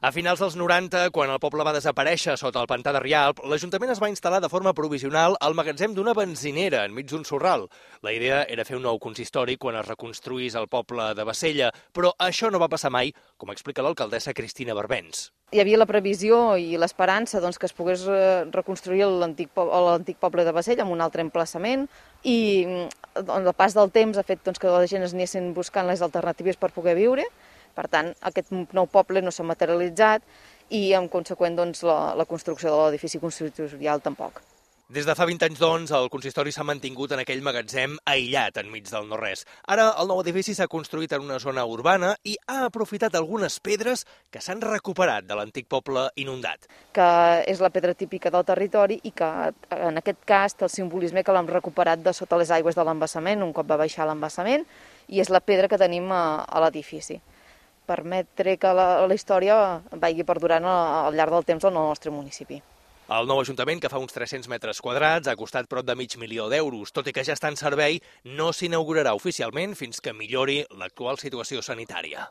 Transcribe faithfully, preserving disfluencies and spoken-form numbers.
A finals dels noranta, quan el poble va desaparèixer sota el pantà de Rialp, l'Ajuntament es va instal·lar de forma provisional al magatzem d'una benzinera enmig d'un sorral. La idea era fer un nou consistori quan es reconstruís el poble de Bassella, però això no va passar mai, com explica l'alcaldessa Cristina Barbens. Hi havia la previsió i l'esperança doncs, que es pogués reconstruir l'antic poble de Bassella amb un altre emplaçament i el pas del temps ha fet doncs, que la gent es anessin buscant les alternatives per poder viure. Per tant, aquest nou poble no s'ha materialitzat i, en conseqüent, doncs, la, la construcció de l'edifici consistorial tampoc. Des de fa vint anys, doncs, el consistori s'ha mantingut en aquell magatzem aïllat enmig del no-res. Ara, el nou edifici s'ha construït en una zona urbana i ha aprofitat algunes pedres que s'han recuperat de l'antic poble inundat. Que és la pedra típica del territori i que, en aquest cas, té el simbolisme que l'hem recuperat de sota les aigües de l'embassament, un cop va baixar l'embassament, i és la pedra que tenim a, a l'edifici. Permetre que la, la història vagi perdurant al llarg del temps al nostre municipi. El nou Ajuntament, que fa uns tres-cents metres quadrats, ha costat prop de mig milió d'euros. Tot i que ja està en servei, no s'inaugurarà oficialment fins que millori l'actual situació sanitària.